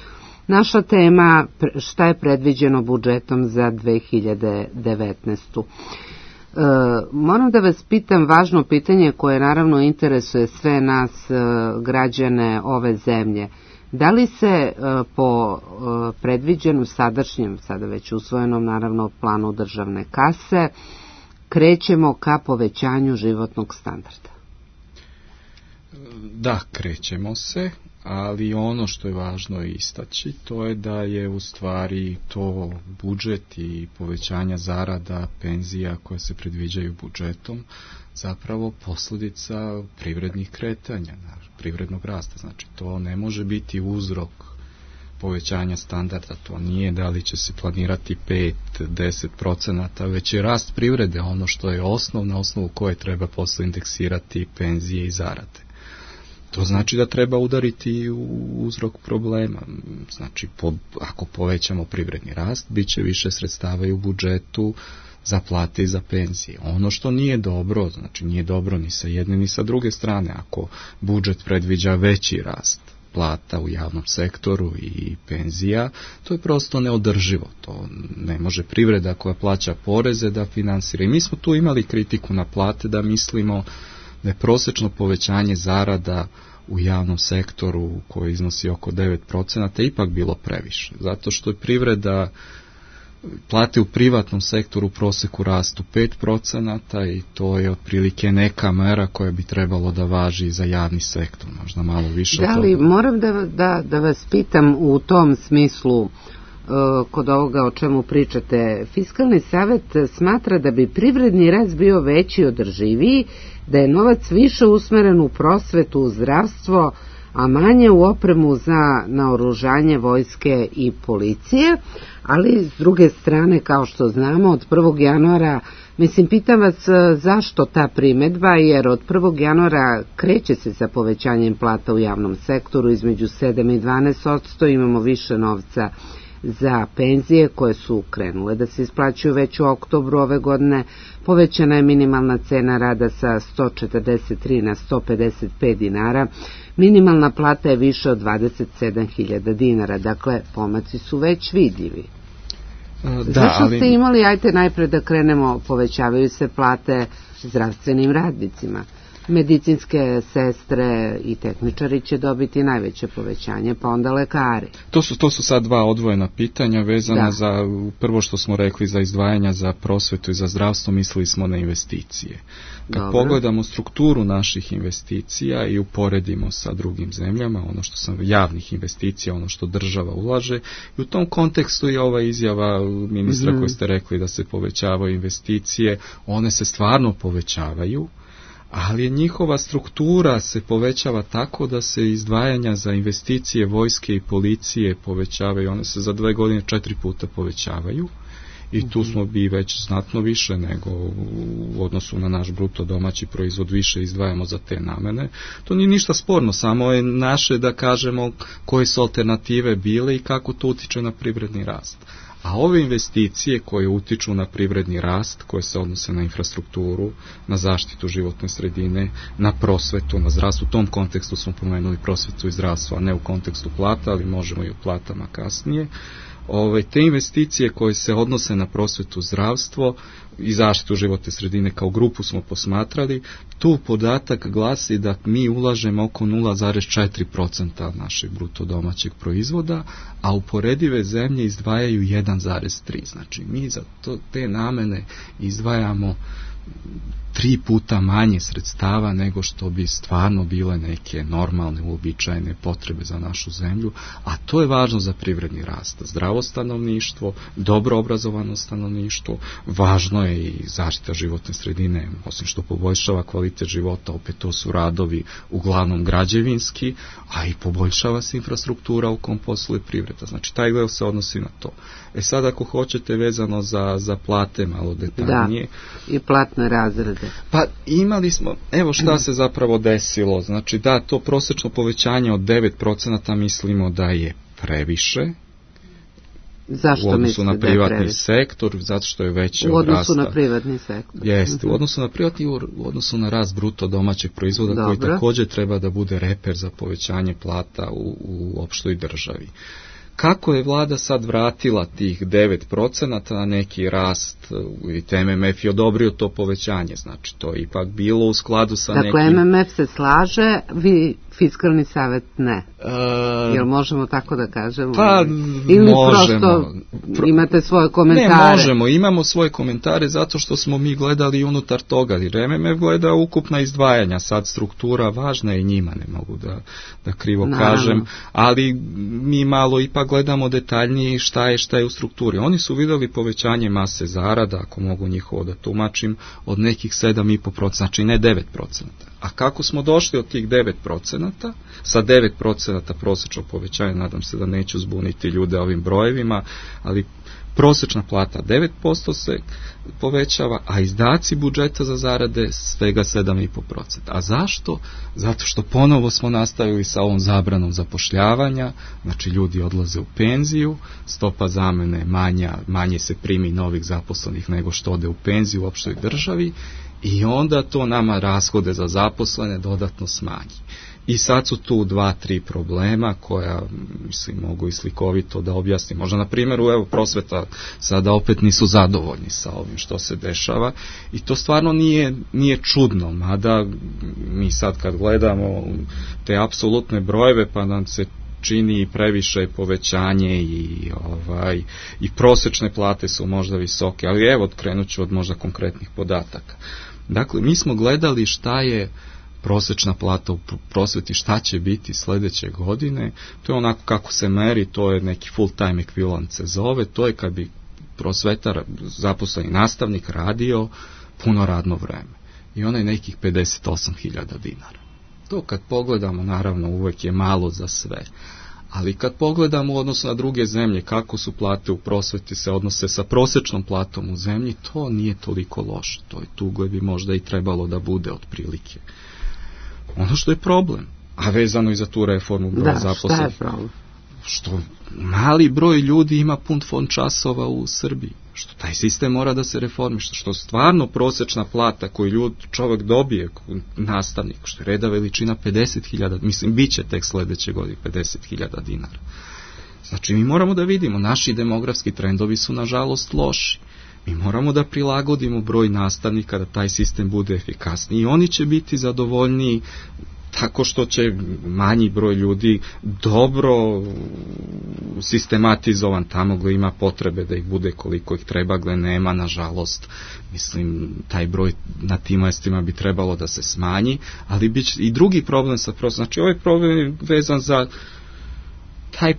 Naša tema, šta je predviđeno budžetom za 2019. Moram da vas pitam važno pitanje koje naravno interesuje sve nas građane ove zemlje. Da li se po predviđenom sadašnjem, sada već usvojenom naravno planu državne kase, krećemo ka povećanju životnog standarda? Da, krećemo se, ali ono što je važno istaći, to je da je u stvari to budžet i povećanja zarada, penzija koje se predviđaju budžetom, zapravo posljedica privrednih kretanja, privrednog rasta. Znači, to ne može biti uzrok povećanja standarda, to nije da li će se planirati 5-10%, već je rast privrede ono što je na osnovu koje treba posle indeksirati penzije i zarade. To znači da treba udariti u uzrok problema. Znači, ako povećamo privredni rast, bit će više sredstava i u budžetu za plate i za penzije. Ono što nije dobro, znači nije dobro ni sa jedne ni sa druge strane, ako budžet predviđa veći rast plata u javnom sektoru i penzija, to je prosto neodrživo. To ne može privreda koja plaća poreze da finansira. I mi smo tu imali kritiku na plate da mislimo da je prosječno povećanje zarada u javnom sektoru koji iznosi oko 9% ipak bilo previše. Zato što je privreda, plate u privatnom sektoru u proseku rastu 5% i to je otprilike neka mera koja bi trebalo da važi za javni sektor, možda malo više. Da li moram da vas pitam u tom smislu, kod ovoga o čemu pričate, Fiskalni savet smatra da bi privredni rast bio veći i održiviji, da je novac više usmeren u prosvetu, u zdravstvo, a manje u opremu za naoružanje vojske i policije, ali s druge strane, kao što znamo, od 1. januara, pitam vas zašto ta primedba, jer od 1. januara kreće se sa povećanjem plata u javnom sektoru između 7 i 12%, imamo više novca za penzije koje su krenule da se isplaćuju već u oktobru ove godine. Povećana je minimalna cena rada sa 143 na 155 dinara. Minimalna plata je više od 27.000 dinara. Dakle, pomaci su već vidljivi. Zašto ste imali, ajte najpre da krenemo, povećavaju se plate zdravstvenim radnicima. Medicinske sestre i tehničari će dobiti najveće povećanje, pa onda lekari. To su sad dva odvojena pitanja vezana za, prvo što smo rekli, za izdvajanja za prosvetu i za zdravstvo, mislili smo na investicije. Kad pogledamo strukturu naših investicija i uporedimo sa drugim zemljama, ono što sam javnih investicija, ono što država ulaže, i u tom kontekstu je ova izjava ministra koji ste rekli da se povećavaju investicije, one se stvarno povećavaju, ali njihova struktura se povećava tako da se izdvajanja za investicije vojske i policije povećavaju, one se za 2 godine 4 puta povećavaju i tu smo bi već znatno više nego u odnosu na naš bruto domaći proizvod više izdvajamo za te namene. To nije ništa sporno, samo je naše da kažemo koje su alternative bile i kako to utiče na privredni rast. A ove investicije koje utiču na privredni rast, koje se odnose na infrastrukturu, na zaštitu životne sredine, na prosvetu, na zdravstvu, u tom kontekstu smo pomenuli prosvetu i zdravstvo, a ne u kontekstu plata, ali možemo i o platama kasnije. Te investicije koje se odnose na prosvetu, zdravstvo i zaštitu životne sredine kao grupu smo posmatrali, tu podatak glasi da mi ulažemo oko 0,4% našeg bruto domaćeg proizvoda, a uporedive zemlje izdvajaju 1,3%. Znači mi za te namene izdvajamo 3 puta manje sredstava nego što bi stvarno bile neke normalne, uobičajene potrebe za našu zemlju, a to je važno za privredni rast. Zdravo stanovništvo, dobro obrazovano stanovništvo, važno je i zaštita životne sredine, osim što poboljšava kvalitet života, opet to su radovi uglavnom građevinski, a i poboljšava se infrastruktura u kom posluje privreda. Znači taj deo se odnosi na to. Sad ako hoćete vezano za plate malo detaljnije. Da, i platne razrede. Pa imali smo, evo šta se zapravo desilo, znači da to prosječno povećanje od 9% mislimo da je previše, Zašto u odnosu na privatni sektor, zato što je veći od rasta. U odnosu na privatni sektor. Jeste, u odnosu na privatni, u odnosu na rast bruto domaćeg proizvoda koji također treba da bude reper za povećanje plata u opštoj državi. Kako je vlada sad vratila tih 9% na neki rast, i MMF je odobrio to povećanje, znači to je ipak bilo u skladu sa nekim... Dakle, MMF se slaže, vi Fiskalni savet ne. Jel možemo tako da kažemo? Pa, ili možemo. Prosto imate svoje komentare? Ne, možemo, imamo svoje komentare zato što smo mi gledali unutar toga, jer MMF gleda ukupna izdvajanja, sad struktura važna je njima, ne mogu da krivo kažem, ali mi malo ipak gledamo detaljnije šta je u strukturi. Oni su vidjeli povećanje mase zarada, ako mogu njihovo da tumačim, od nekih 7,5%, znači ne 9%. A kako smo došli od tih 9%, sa 9% prosječnog povećanja, nadam se da neću zbuniti ljude ovim brojevima, ali prosječna plata 9% se povećava, a izdaci budžeta za zarade svega 7,5%. A zašto? Zato što ponovo smo nastavili sa ovom zabranom zapošljavanja, znači ljudi odlaze u penziju, stopa zamene manje se primi novih zaposlenih nego što ode u penziju u opštoj državi, i onda to nama rashode za zaposlene dodatno smanji. I sad su tu 2-3 problema koja, mislim, mogu i slikovito da objasnim. Možda na primjeru, evo, prosveta sada opet nisu zadovoljni sa ovim što se dešava i to stvarno nije čudno, mada mi sad kad gledamo te apsolutne brojeve pa nam se čini previše povećanje i prosječne plate su možda visoke, ali evo, krenut ću od možda konkretnih podataka. Dakle, mi smo gledali šta je prosječna plata u prosveti, šta će biti sljedeće godine, to je onako kako se meri, to je neki full time ekvivalent se zove, to je kad bi prosvetar, zaposleni nastavnik radio puno radno vreme. I ono je nekih 58.000 dinara. To kad pogledamo, naravno, uvijek je malo za sve. Ali kad pogledamo u odnosu na druge zemlje, kako su plate u prosveti se odnose sa prosječnom platom u zemlji, to nije toliko loše. To je tu gdje bi možda i trebalo da bude otprilike. Ono što je problem, a vezano i za tu reformu broja zaposlenih. Šta je problem? Što mali broj ljudi ima pun fond časova u Srbiji. Što taj sistem mora da se reformiše, što stvarno prosječna plata koju čovjek dobije, nastavnik, što je reda veličina 50.000, mislim, bit će tek sljedeće godine 50.000 dinara. Znači, mi moramo da vidimo, naši demografski trendovi su nažalost loši. Mi moramo da prilagodimo broj nastavnika, da taj sistem bude efikasniji i oni će biti zadovoljniji tako što će manji broj ljudi dobro sistematizovan tamo gdje ima potrebe da ih bude koliko ih treba, gdje nema, nažalost, mislim, taj broj na tim mjestima bi trebalo da se smanji, ali bit će i drugi problem sa prosjekom. Znači, ovaj problem je vezan za taj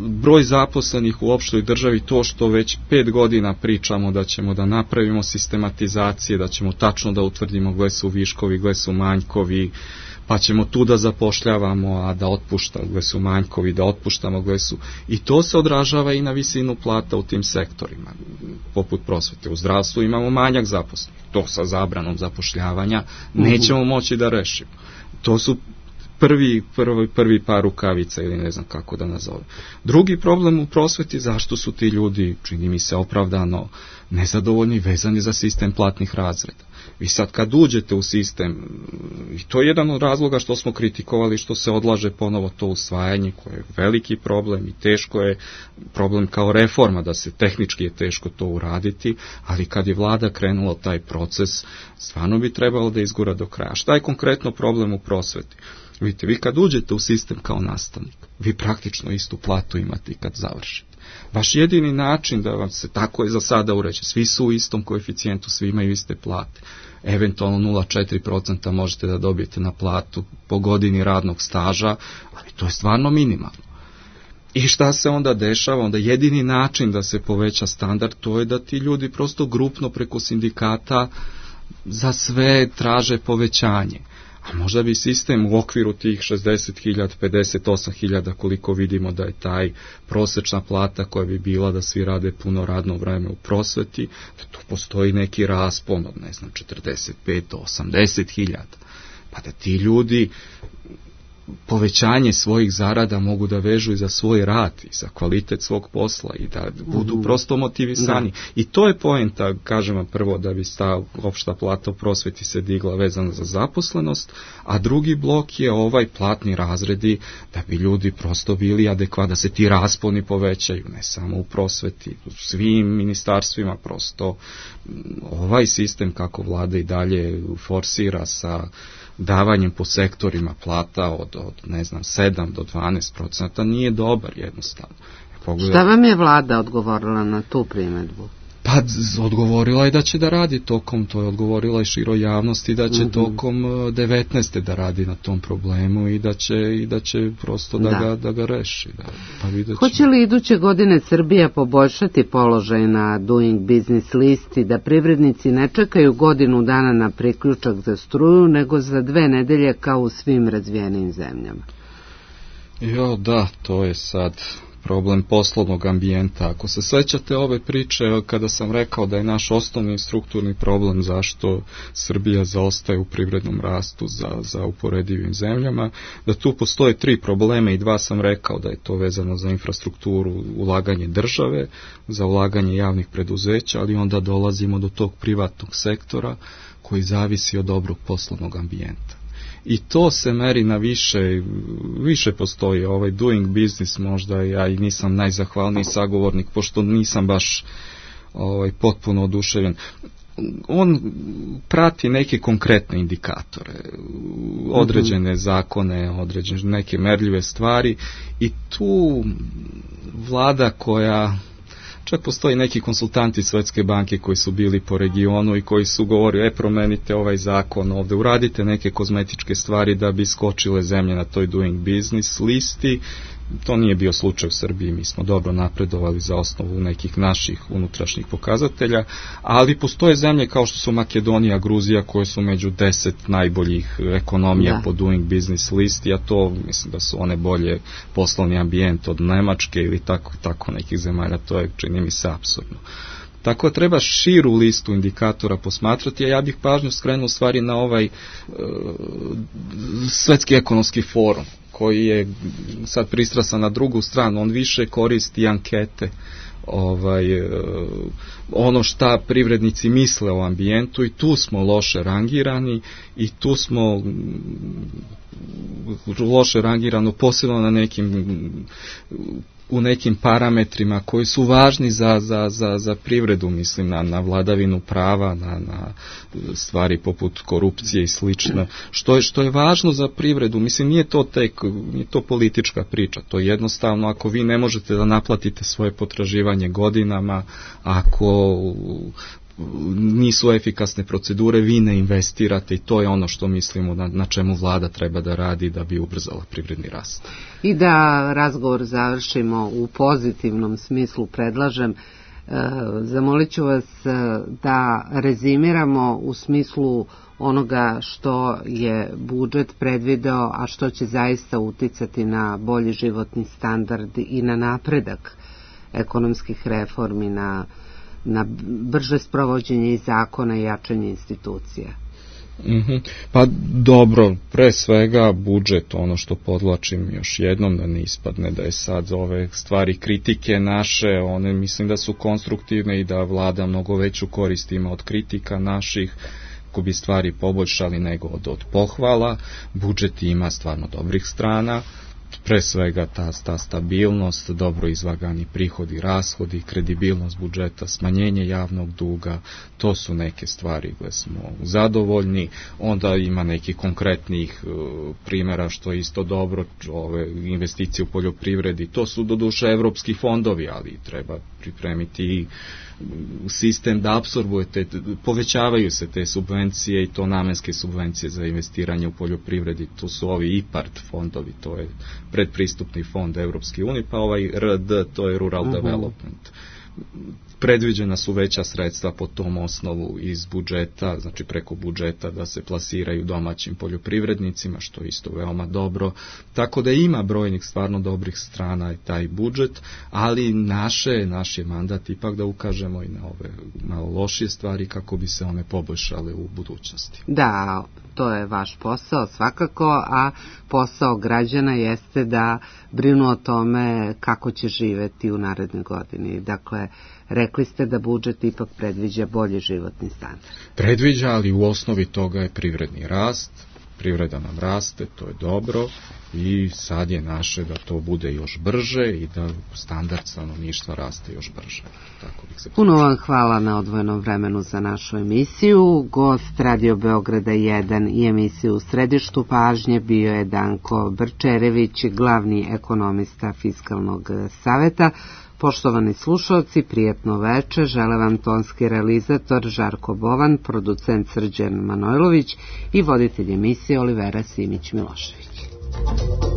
broj zaposlenih u opštoj državi, to što već 5 godina pričamo da ćemo da napravimo sistematizacije, da ćemo tačno da utvrdimo gdje su viškovi, gdje su manjkovi, pa ćemo tu da zapošljavamo, a da otpuštamo, gdje su manjkovi, da otpuštamo gdje su. I to se odražava i na visinu plata u tim sektorima, poput prosvete. U zdravstvu imamo manjak zaposlenih. To sa zabranom zapošljavanja nećemo moći da rešimo. To su prvi par rukavica, ili ne znam kako da nazove. Drugi problem u prosveti, zašto su ti ljudi, čini mi se opravdano, nezadovoljni, vezani za sistem platnih razreda. Vi sad kad uđete u sistem, i to je jedan od razloga što smo kritikovali, što se odlaže ponovo to usvajanje, koje je veliki problem i teško je problem kao reforma, da se tehnički je teško to uraditi, ali kad je vlada krenula taj proces, stvarno bi trebalo da izgura do kraja. Šta je konkretno problem u prosveti? Vidite, vi kad uđete u sistem kao nastavnik, vi praktično istu platu imate i kad završite. Vaš jedini način da vam se, tako je za sada uređeno, svi su u istom koeficijentu, svi imaju iste plate. Eventualno 0,4% možete da dobijete na platu po godini radnog staža, ali to je stvarno minimalno. I šta se onda dešava? Onda jedini način da se poveća standard, to je da ti ljudi prosto grupno preko sindikata za sve traže povećanje. A možda bi sistem u okviru tih 60.000, 58.000, koliko vidimo da je taj prosječna plata koja bi bila da svi rade puno radno vreme u prosveti, da tu postoji neki raspon od, ne znam, 45 do 80.000. Pa da ti ljudi povećanje svojih zarada mogu da vežu i za svoj rad i za kvalitet svog posla i da budu prosto motivisani. I to je poenta, kažemo prvo, da bi ta opšta plata u prosveti se digla vezana za zaposlenost, a drugi blok je ovaj platni razredi da bi ljudi prosto bili adekvatni, da se ti rasponi povećaju, ne samo u prosveti, u svim ministarstvima, prosto ovaj sistem kako vlada i dalje forsira sa davanjem po sektorima plata od ne znam, 7 do 12% nije dobar jednostavno. Šta vam je vlada odgovorila na tu primedbu? Pa odgovorila je da će da radi tokom, to je odgovorila i široj javnosti, da će tokom 19. da radi na tom problemu i da će prosto da ga reši. Hoće li iduće godine Srbija poboljšati položaj na Doing Business listi, da privrednici ne čekaju godinu dana na priključak za struju, nego za 2 nedelje kao u svim razvijenim zemljama? Da, to je sad problem poslovnog ambijenta. Ako se sećate ove priče kada sam rekao da je naš osnovni strukturni problem zašto Srbija zaostaje u privrednom rastu za uporedivim zemljama, da tu postoje 3 problema i 2 sam rekao da je to vezano za infrastrukturu, ulaganje države, za ulaganje javnih preduzeća, ali onda dolazimo do tog privatnog sektora koji zavisi od dobrog poslovnog ambijenta. I to se meri na više postoji ovaj Doing Business, možda ja i nisam najzahvalniji sagovornik, pošto nisam baš potpuno oduševljen. On prati neke konkretne indikatore, određene zakone, određene neke merljive stvari i tu vlada koja... Čak postoji neki konsultanti Svetske banke koji su bili po regionu i koji su govorili, promenite ovaj zakon ovde, uradite neke kozmetičke stvari da bi skočile zemlje na toj Doing Business listi. To nije bio slučaj u Srbiji, mi smo dobro napredovali za osnovu nekih naših unutrašnjih pokazatelja, ali postoje zemlje kao što su Makedonija, Gruzija, koje su među 10 najboljih ekonomija po Doing Business listi, a to mislim da su one bolje poslovni ambijent od Nemačke ili tako nekih zemalja, to je, čini mi se, apsurdno. Tako treba širu listu indikatora posmatrati, a ja bih pažnju skrenuo stvari na ovaj Svetski ekonomski forum, koji je sad pristrasan na drugu stranu, on više koristi ankete, ono šta privrednici misle o ambijentu i tu smo loše rangirani i tu smo loše rangirano posebno u nekim parametrima koji su važni za privredu, mislim na vladavinu prava, na stvari poput korupcije i slično, što je važno za privredu. Mislim, nije to politička priča, to je jednostavno ako vi ne možete da naplatite svoje potraživanje godinama, ako nisu efikasne procedure, vi ne investirate i to je ono što mislimo na čemu vlada treba da radi da bi ubrzala privredni rast. I da razgovor završimo u pozitivnom smislu, predlažem, zamolit ću vas da rezimiramo u smislu onoga što je budžet predvideo, a što će zaista uticati na bolji životni standard i na napredak ekonomskih reformi, na brže sprovođenje i zakona i jačanje institucija. Pa dobro, pre svega budžet, ono što podvlačim još jednom, da ne ispadne da je sad ove stvari kritike naše, one mislim da su konstruktivne i da vlada mnogo veću korist ima od kritika naših, ko bi stvari poboljšali nego od pohvala. Budžet ima stvarno dobrih strana, pre svega ta stabilnost, dobro izvagani prihodi, rashodi, kredibilnost budžeta, smanjenje javnog duga, to su neke stvari gdje smo zadovoljni. Onda ima nekih konkretnih primjera što je isto dobro, ove investicije u poljoprivredi, to su doduše evropski fondovi, ali treba pripremiti i sistem da apsorbujete, povećavaju se te subvencije i to namenske subvencije za investiranje u poljoprivredi, to su ovi IPARD fondovi, to je predpristupni fond Evropske unije, pa ovaj RD, to je Rural Development. predviđena su veća sredstva po tom osnovu iz budžeta, znači preko budžeta da se plasiraju domaćim poljoprivrednicima, što je isto veoma dobro. Tako da ima brojnih stvarno dobrih strana i taj budžet, ali naš je mandat ipak da ukažemo i na ove malo lošije stvari kako bi se one poboljšale u budućnosti. Da, to je vaš posao svakako, a posao građana jeste da brinu o tome kako će živeti u narednoj godini. Dakle, rekli ste da budžet ipak predviđa bolji životni standard. Predviđa, ali u osnovi toga je privredni rast. Privreda nam raste, to je dobro i sad je naše da to bude još brže i da standard stanovništva raste još brže. Tako bih se Puno vam hvala na odvojenom vremenu za našu emisiju. Gost Radio Beograda 1 i emisiju U središtu pažnje bio je Danko Brčerević, glavni ekonomista Fiskalnog saveta. Poštovani slušalci, prijetno veče, žele vam tonski realizator Žarko Bovan, producent Srđan Manojlović i voditelj emisije Olivera Simić-Milošević.